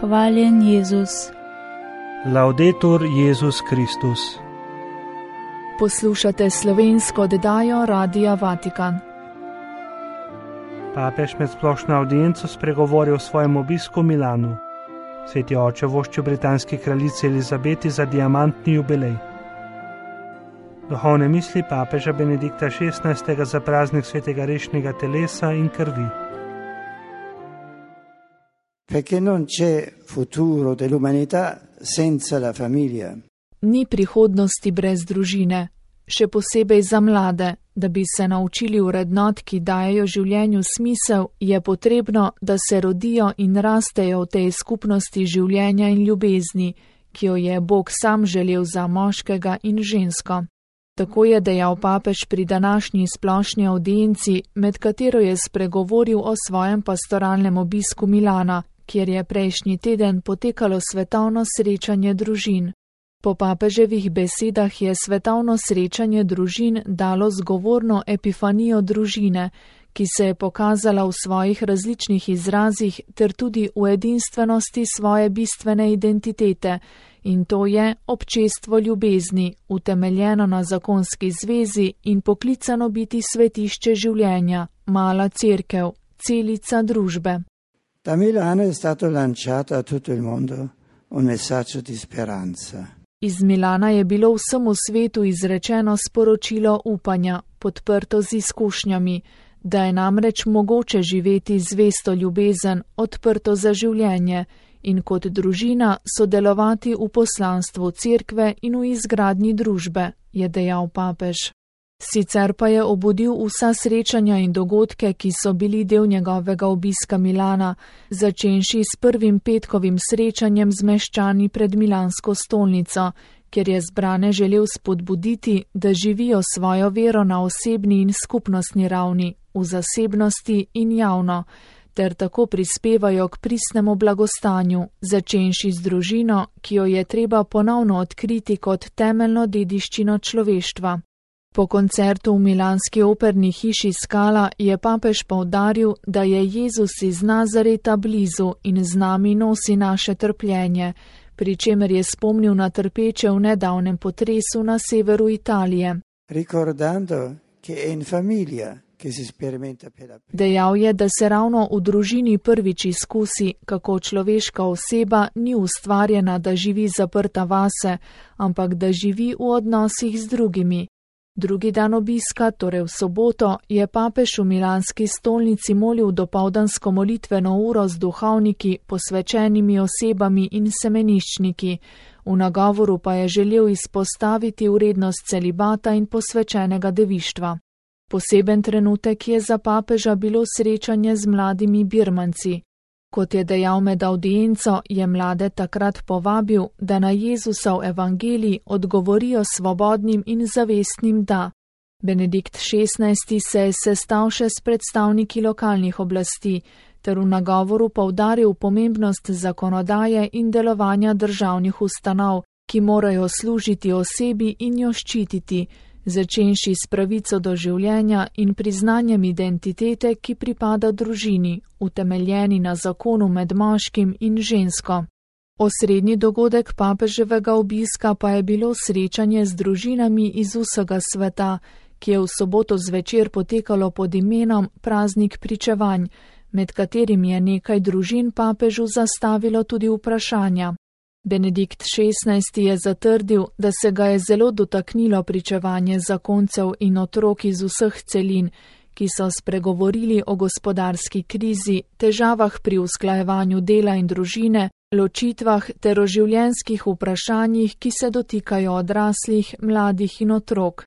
Hvaljen Jezus. Laudetur Jezus Kristus. Poslušate slovensko oddajo Radia Vatikan. Papež med splošno audienco spregovoril o svojem obisku v Milanu. Sveti oče voščil britanski kraljici Elizabeti za diamantni jubilej. Duhovne misli papeža Benedikta XVI. Za praznik svetega rešnega telesa in krvi. Perché non c'è futuro dell'umanità senza la famiglia. Ni prihodnosti brez družine, še posebej za mlade. Da bi se naučili vrednot, ki dajejo življenju smisel, je potrebno, da se rodijo in rastejo v tej skupnosti življenja in ljubezni, ki jo je Bog sam želel za moškega in žensko. Tako je dejal papež pri današnji splošni audienci, med katero je spregovoril o svojem pastoralnem obisku Milana, kjer je prejšnji teden potekalo svetovno srečanje družin. Po papeževih besedah je svetovno srečanje družin dalo zgovorno epifanijo družine, ki se je pokazala v svojih različnih izrazih ter tudi v edinstvenosti svoje bistvene identitete, in to je občestvo ljubezni, utemeljeno na zakonski zvezi in poklicano biti svetišče življenja, mala cerkev, celica družbe. Da Milano è stato lanciato a tutto il mondo un messaggio di speranza. Iz Milana je bilo vsemu svetu izrečeno sporočilo upanja, podprto z izkušnjami, da je namreč mogoče živeti zvesto ljubezen, odprto za življenje in kot družina sodelovati v poslanstvu cerkve in v izgradnji družbe, je dejal papež. Sicer pa je obudil vsa srečanja in dogodke, ki so bili del njegovega obiska Milana, začenši s prvim petkovim srečanjem z meščani pred milansko stolnico, kjer je zbrane želel spodbuditi, da živijo svojo vero na osebni in skupnostni ravni, v zasebnosti in javno, ter tako prispevajo k pristnemu blagostanju, začenši z družino, ki jo je treba ponovno odkriti kot temeljno dediščino človeštva. Po koncertu v milanski operni hiši Scala je papež poudaril, da je Jezus iz Nazareta blizu in z nami nosi naše trpljenje, pri čemer je spomnil na trpeče v nedavnem potresu na severu Italije. Dejal je, da se ravno v družini prvič izkusi, kako človeška oseba ni ustvarjena, da živi zaprta vase, ampak da živi v odnosih z drugimi. Drugi dan obiska, torej v soboto, je papež v milanski stolnici molil dopoldansko molitveno uro z duhovniki, posvečenimi osebami in semeniščniki. V nagovoru pa je želel izpostaviti vrednost celibata in posvečenega devištva. Poseben trenutek je za papeža bilo srečanje z mladimi Birmanci. Kot je dejal med audienco, je mlade takrat povabil, da na Jezusov evangelij odgovorijo svobodnim in zavestnim da. Benedikt XVI. Se je sestal še s predstavniki lokalnih oblasti, ter v nagovoru poudaril pomembnost zakonodaje in delovanja državnih ustanov, ki morajo služiti osebi in jo ščititi, začenši s pravico do življenja in priznanjem identitete, ki pripada družini, utemeljeni na zakonu med moškim in žensko. Osrednji dogodek papeževega obiska pa je bilo srečanje z družinami iz vsega sveta, ki je v soboto zvečer potekalo pod imenom Praznik pričevanj, med katerim je nekaj družin papežu zastavilo tudi vprašanja. Benedikt XVI. Je zatrdil, da se ga je zelo dotaknilo pričevanje zakoncev in otrok iz vseh celin, ki so spregovorili o gospodarski krizi, težavah pri usklajevanju dela in družine, ločitvah ter o življenjskih vprašanjih, ki se dotikajo odraslih, mladih in otrok.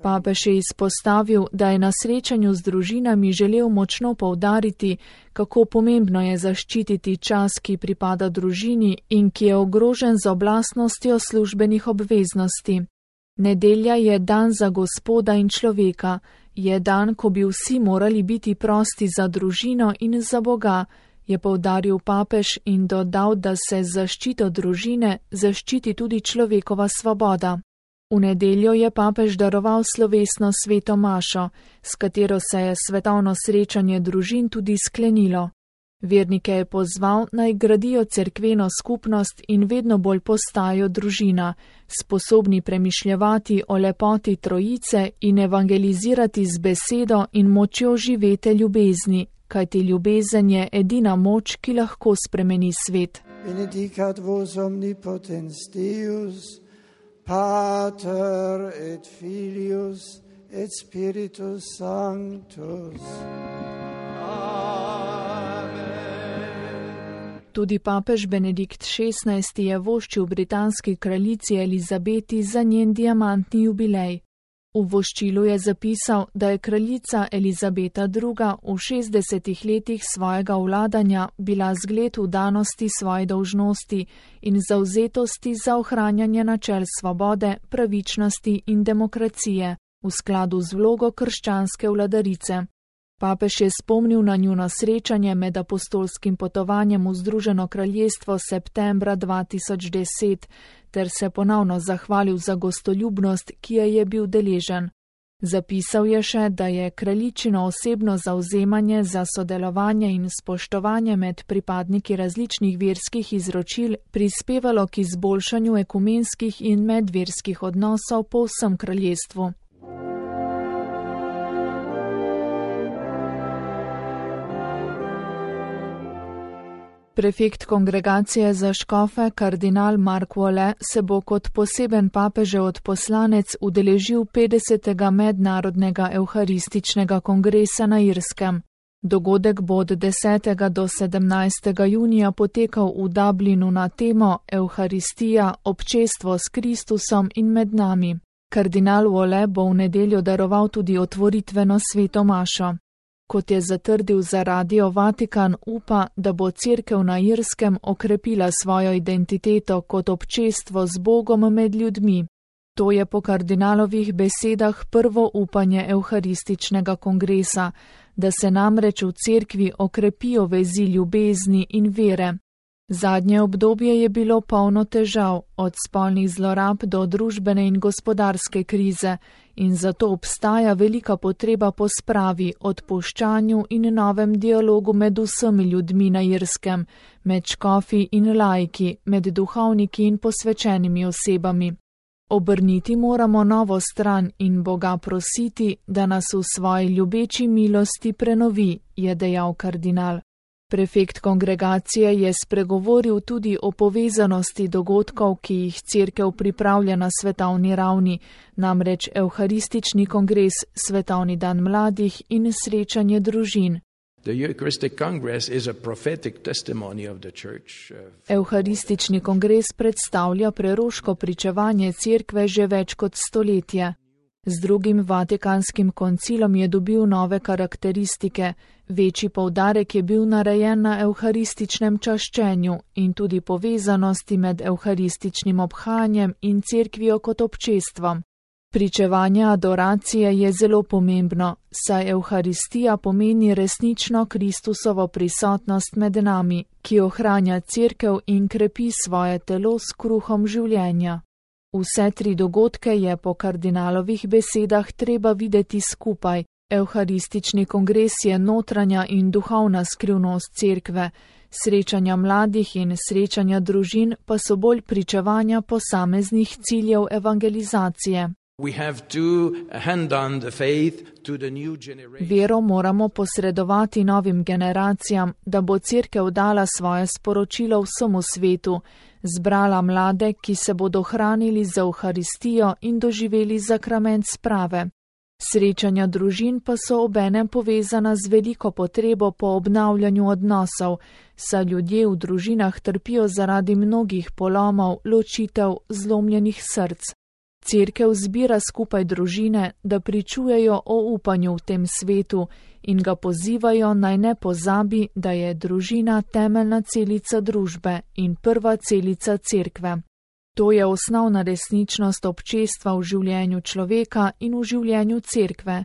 Papež je izpostavil, da je na srečanju z družinami želel močno poudariti, kako pomembno je zaščititi čas, ki pripada družini in ki je ogrožen z oblastnostjo službenih obveznosti. Nedelja je dan za Gospoda in človeka, je dan, ko bi vsi morali biti prosti za družino in za Boga, je poudaril papež in dodal, da se z zaščito družine zaščiti tudi človekova svoboda. V nedeljo je papež daroval slovesno sveto mašo, s katero se je svetovno srečanje družin tudi sklenilo. Vernike je pozval, naj gradijo cerkveno skupnost in vedno bolj postajajo družina, sposobni premišljevati o lepoti Trojice in evangelizirati z besedo in močjo živete ljubezni, kajti ljubezen je edina moč, ki lahko spremeni svet. Benedicat vos omnipotens Deus, Pater et Filius et Spiritus Sanctus. Tudi papež Benedikt XVI je voščil britanski kraljici Elizabeti za njen diamantni jubilej. V voščilu je zapisal, da je kraljica Elizabeta II. V 60 letih svojega vladanja bila zgled vdanosti svoje dolžnosti in zavzetosti za ohranjanje načel svobode, pravičnosti in demokracije v skladu z vlogo krščanske vladarice. Papež je spomnil na njuno srečanje med apostolskim potovanjem v Združeno kraljestvo septembra 2010 ter se ponovno zahvalil za gostoljubnost, ki je bil deležen. Zapisal je še, da je kraljičino osebno zavzemanje za sodelovanje in spoštovanje med pripadniki različnih verskih izročil prispevalo k izboljšanju ekumenskih in medverskih odnosov po vsem kraljestvu. Prefekt kongregacije za škofe, kardinal Mark Wole, se bo kot poseben papežev odposlanec udeležil 50. mednarodnega evharističnega kongresa na Irskem. Dogodek bo od 10. do 17. junija potekal v Dublinu na temo Evharistija, občestvo s Kristusom in med nami. Kardinal Wole bo v nedeljo daroval tudi otvoritveno sveto mašo. Kot je zatrdil za Radio Vatikan, upa, da bo Cerkev na Irskem okrepila svojo identiteto kot občestvo z Bogom med ljudmi. To je po kardinalovih besedah prvo upanje evharističnega kongresa, da se namreč v Cerkvi okrepijo vezi ljubezni in vere. Zadnje obdobje je bilo polno težav, od spolnih zlorab do družbene in gospodarske krize, in zato obstaja velika potreba po spravi, odpuščanju in novem dialogu med vsemi ljudmi na Irskem, med škofi in laiki, med duhovniki in posvečenimi osebami. Obrniti moramo novo stran in Boga prositi, da nas v svoji ljubeči milosti prenovi, je dejal kardinal. Prefekt kongregacije je spregovoril tudi o povezanosti dogodkov, ki jih Cerkev pripravlja na svetovni ravni, namreč evharistični kongres, svetovni dan mladih in srečanje družin. Evharistični kongres predstavlja preroško pričevanje Cerkve že več kot stoletje. Z drugim Vatikanskim koncilom je dobil nove karakteristike, večji poudarek je bil narejen na evharističnem čaščenju in tudi povezanosti med evharističnim obhajanjem in Cerkvijo kot občestvom. Pričevanje adoracije je zelo pomembno, saj evharistija pomeni resnično Kristusovo prisotnost med nami, ki ohranja Cerkev in krepi svoje telo s kruhom življenja. Vse tri dogodke je po kardinalovih besedah treba videti skupaj. Evharistični kongres je notranja in duhovna skrivnost Cerkve, srečanja mladih in srečanja družin pa so bolj pričevanja posameznih ciljev evangelizacije. Vero moramo posredovati novim generacijam, da bo Cerkev dala svoje sporočilo vsemu svetu, zbrala mlade, ki se bodo hranili za Evharistijo in doživeli sakrament sprave. Srečanja družin pa so obenem povezana z veliko potrebo po obnavljanju odnosov, saj ljudje v družinah trpijo zaradi mnogih polomov, ločitev, zlomljenih src. Cerkev zbira skupaj družine, da pričujejo o upanju v tem svetu in ga pozivajo naj ne pozabi, da je družina temeljna celica družbe in prva celica Cerkve. To je osnovna resničnost občestva v življenju človeka in v življenju Cerkve.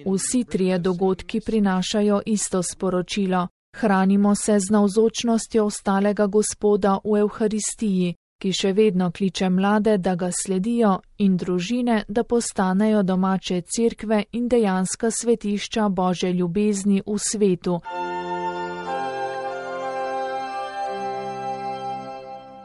Vsi trije dogodki prinašajo isto sporočilo. Hranimo se z navzočnostjo ostalega Gospoda v Evharistiji, ki še vedno kliče mlade, da ga sledijo, in družine, da postanejo domače cerkve in dejanska svetišča Božje ljubezni v svetu.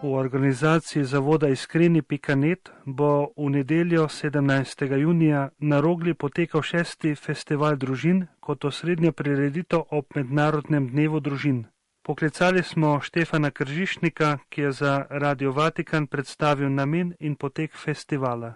V organizaciji zavoda iskreni.net bo v nedeljo 17. junija na Rogli potekal 6. festival družin kot osrednja prireditev ob Mednarodnem dnevu družin. Poklicali smo Štefana Kržišnika, ki je za Radio Vatikan predstavil namen in potek festivala.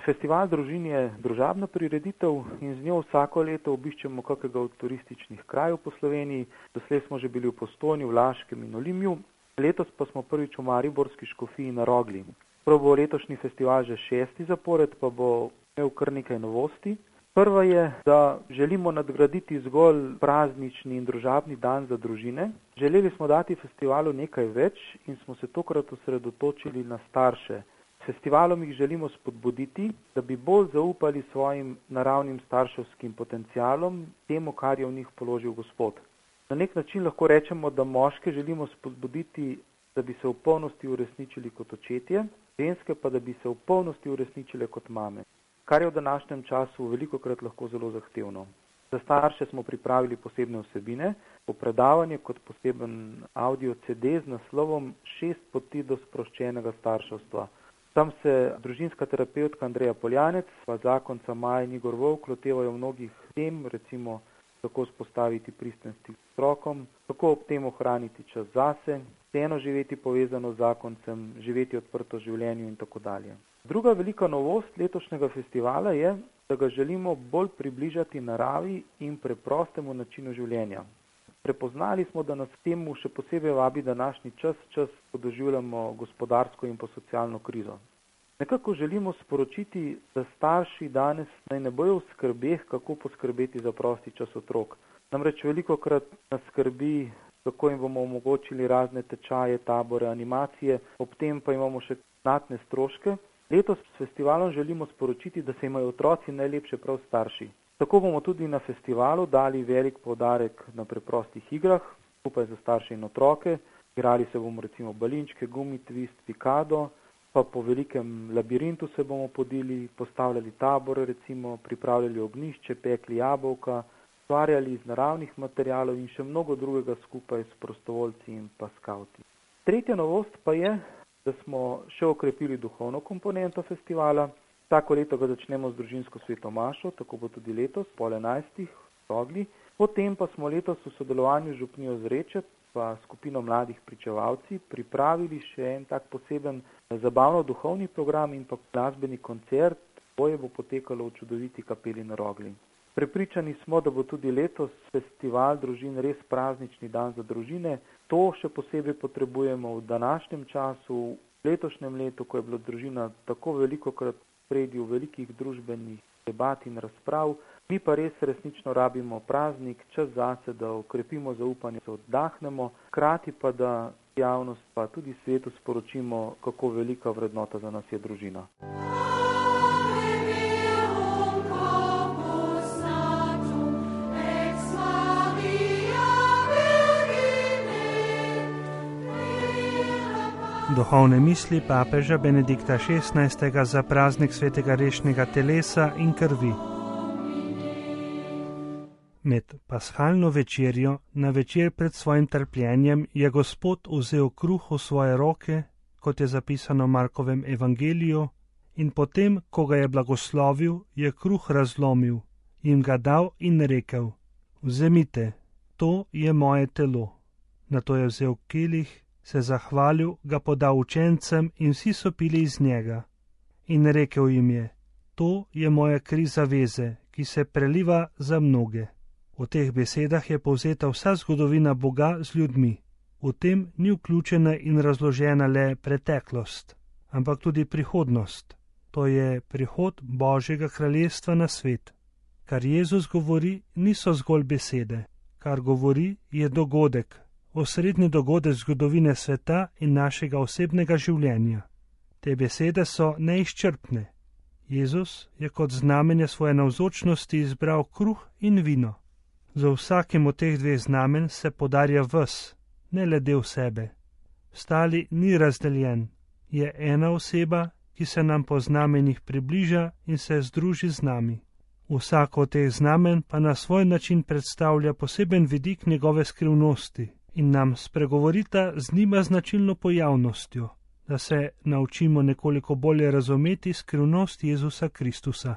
Festival družin je družabna prireditev in z njo vsako leto obiščemo kakega od turističnih krajev po Sloveniji. Doslej smo že bili v Postojni, v Laškem in Olimju. Letos pa smo prvič v mariborski škofiji na Rogli. Prav bo letošnji festival že 6. zapored, pa bo imel kar nekaj novosti. Prva je, da želimo nadgraditi zgolj praznični in družabni dan za družine. Želeli smo dati festivalu nekaj več in smo se tokrat osredotočili na starše. S festivalom jih želimo spodbuditi, da bi bolj zaupali svojim naravnim starševskim potencialom, temu, kar je v njih položil Gospod. Na nek način lahko rečemo, da moške želimo spodbuditi, da bi se v polnosti uresničili kot očetje, ženske pa, da bi se v polnosti uresničile kot mame, kar je v današnjem času velikokrat lahko zelo zahtevno. Za starše smo pripravili posebne vsebine, popredavanje kot poseben audio CD z naslovom 6 poti do sproščenega starševstva. Tam se družinska terapevtka Andreja Poljanec, pa zakonca Maja in Igor Volk lotevajo mnogih tem, recimo kako spostaviti pristen stik s otrokom, kako ob tem ohraniti čas zase, vseeno živeti povezano z zakoncem, živeti odprto življenju in tako dalje. Druga velika novost letošnjega festivala je, da ga želimo bolj približati naravi in preprostemu načinu življenja. Prepoznali smo, da nas temu še posebej vabi današnji čas, ko doživljamo gospodarsko in pa socialno krizo. Nekako želimo sporočiti, da starši danes naj ne bojo v skrbeh, kako poskrbeti za prosti čas otrok. Namreč velikokrat nas skrbi, kako jim bomo omogočili razne tečaje, tabore, animacije, ob tem pa imamo še znatne stroške. Letos s festivalom želimo sporočiti, da se imajo otroci najlepše prav starši. Tako bomo tudi na festivalu dali velik poudarek na preprostih igrah, skupaj za starše in otroke. Igrali se bomo recimo balinčke, gumi, twist, pikado, pa po velikem labirintu se bomo podili, postavljali tabore, recimo pripravljali ognjišče, pekli jabolka, ustvarjali iz naravnih materialov in še mnogo drugega skupaj s prostovoljci in pa skavti. Tretja novost pa je, da smo še okrepili duhovno komponento festivala. Vsako leto ga začnemo z družinsko sveto mašo, tako bo tudi letos, pol 11. v Rogli. Potem pa smo letos v sodelovanju z župnijo Zreče pa skupino mladih pričevalci pripravili še en tak poseben zabavno-duhovni program in pa glasbeni koncert. Boje bo potekalo v čudoviti kapeli na Rogli. Prepričani smo, da bo tudi letos festival družin res praznični dan za družine. To še posebej potrebujemo v današnjem času, v letošnjem letu, ko je bila družina tako velikokrat spredi v velikih družbenih debat in razprav. Mi pa res resnično rabimo praznik, čas zase, da okrepimo zaupanje, se oddahnemo, hkrati pa da javnost pa tudi svetu sporočimo, kako velika vrednota za nas je družina. Duhovne misli papeža Benedikta XVI. Za praznik svetega rešnega telesa in krvi. Med paschalno večerjo, na večer pred svojim trpljenjem, je Gospod vzel kruh v svoje roke, kot je zapisano v Markovem evangeliju, in potem, ko ga je blagoslovil, je kruh razlomil, jim ga dal in rekel: Vzemite, to je moje telo. Nato je vzel kelih, se zahvalil, ga podal učencem in vsi so pili iz njega. In rekel jim je: To je moja kri zaveze, ki se preliva za mnoge. V teh besedah je povzeta vsa zgodovina Boga z ljudmi. V tem ni vključena in razložena le preteklost, ampak tudi prihodnost. To je prihod Božjega kraljestva na svet. Kar Jezus govori, niso zgolj besede. Kar govori, je dogodek, osrednji dogodek zgodovine sveta in našega osebnega življenja. Te besede so neizčrpne. Jezus je kot znamenje svoje navzočnosti izbral kruh in vino. Za vsakim od teh dveh znamen se podarja ves, ne le del sebe. Stali ni razdeljen, je ena oseba, ki se nam po znamenjih približa in se združi z nami. Vsako od teh znamen pa na svoj način predstavlja poseben vidik njegove skrivnosti in nam spregovorita z njima značilno pojavnostjo, da se naučimo nekoliko bolje razumeti skrivnost Jezusa Kristusa.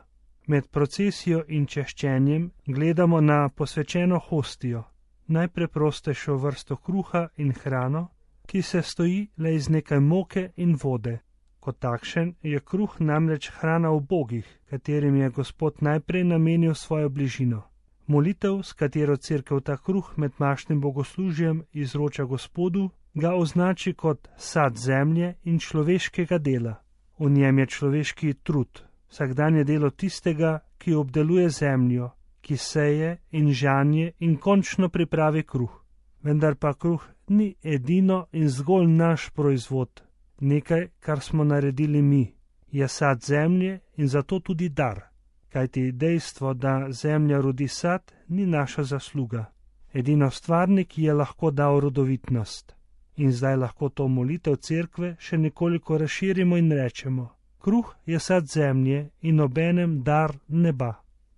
Med procesijo in češčenjem gledamo na posvečeno hostijo, najpreprostejšo vrsto kruha in hrano, ki se stoji le iz nekaj moke in vode. Kot takšen je kruh namreč hrana ubogih, katerim je Gospod najprej namenil svojo bližino. Molitev, s katero Cerkev ta kruh med mašnim bogoslužjem izroča Gospodu, ga označi kot sad zemlje in človeškega dela. V njem je človeški trud, vsakdanje delo tistega, ki obdeluje zemljo, ki seje in žanje in končno pripravi kruh. Vendar pa kruh ni edino in zgolj naš proizvod, nekaj, kar smo naredili mi, je sad zemlje in zato tudi dar, kajti dejstvo, da zemlja rodi sad, ni naša zasluga. Edino stvarnik je lahko dal rodovitnost. In zdaj lahko to molitev Cerkve še nekoliko razširimo in rečemo: kruh je sad zemlje in obenem dar neba.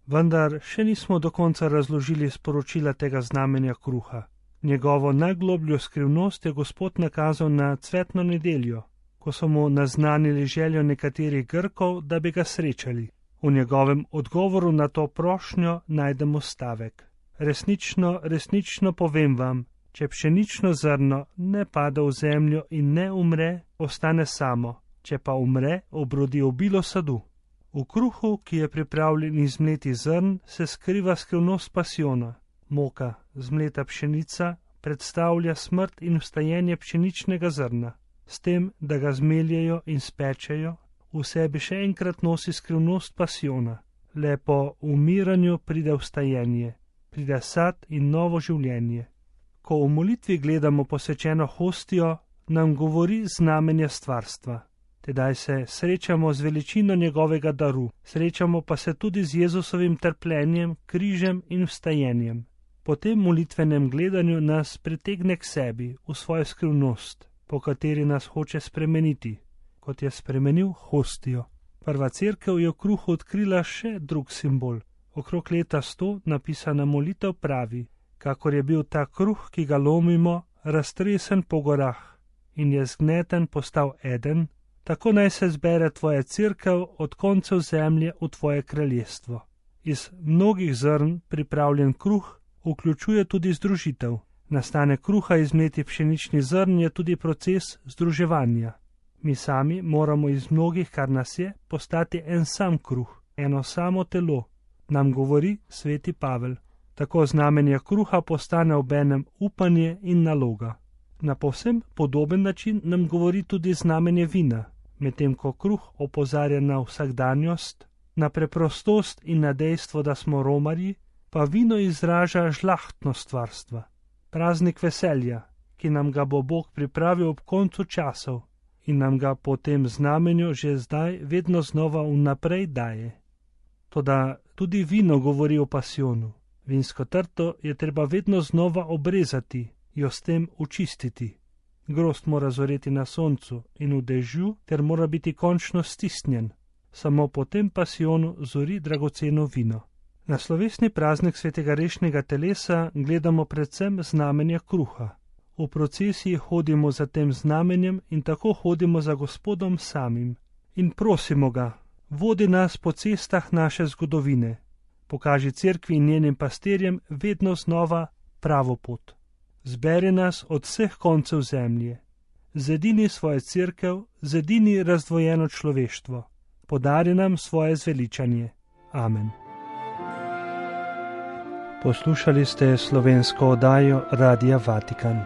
Vendar še nismo do konca razložili sporočila tega znamenja kruha. Njegovo najglobljo skrivnost je Gospod nakazal na cvetno nedeljo, ko so mu naznanili željo nekaterih Grkov, da bi ga srečali. V njegovem odgovoru na to prošnjo najdemo stavek: resnično, resnično povem vam, če pšenično zrno ne pade v zemljo in ne umre, ostane samo, če pa umre, obrodi obilo sadu. V kruhu, ki je pripravljen iz mletih zrn, se skriva skrivnost pasiona. Moka, zmleta pšenica, predstavlja smrt in vstajenje pšeničnega zrna. S tem, da ga zmeljejo in spečejo, v sebi še enkrat nosi skrivnost pasiona. Le po umiranju pride vstajenje, pride sad in novo življenje. Ko v molitvi gledamo posvečeno hostijo, nam govori znamenja stvarstva. Tedaj se srečamo z veličino njegovega daru, srečamo pa se tudi z Jezusovim trpljenjem, križem in vstajenjem. Po tem molitvenem gledanju nas pritegne k sebi, v svojo skrivnost, po kateri nas hoče spremeniti, kot je spremenil hostijo. Prva Cerkev je v kruhu odkrila še drug simbol. Okrog leta 100 napisana molitev pravi: kakor je bil ta kruh, ki ga lomimo, raztresen po gorah in je zgneten postal eden, tako naj se zbere tvoja Cerkev od koncev zemlje v tvoje kraljestvo. Iz mnogih zrn pripravljen kruh vključuje tudi združitev. Nastanek kruha iz mletih pšeničnih zrn je tudi proces združevanja. Mi sami moramo iz mnogih, kar nas je, postati en sam kruh, eno samo telo, nam govori sveti Pavel. Tako znamenje kruha postane obenem upanje in naloga. Na povsem podoben način nam govori tudi znamenje vina, medtem ko kruh opozarja na vsakdanjost, na preprostost in na dejstvo, da smo romarji, pa vino izraža žlahtnost stvarstva, praznik veselja, ki nam ga bo Bog pripravil ob koncu časov in nam ga po tem znamenju že zdaj vedno znova vnaprej daje. Toda tudi vino govori o pasionu. Vinsko trto je treba vedno znova obrezati, jo s tem očistiti. Grozd mora zoreti na soncu in v dežju ter mora biti končno stisnjen. Samo po tem pasionu zori dragoceno vino. Na slovesni praznik svetega rešnega telesa gledamo predvsem znamenja kruha. V procesiji hodimo za tem znamenjem in tako hodimo za Gospodom samim. In prosimo ga, vodi nas po cestah naše zgodovine. Pokaži Cerkvi in njenim pastirjem vedno znova pravo pot. Zberi nas od vseh koncev zemlje. Zedini svojo Cerkev, zedini razdvojeno človeštvo. Podari nam svoje zveličanje. Amen. Poslušali ste slovensko oddajo Radia Vatikan.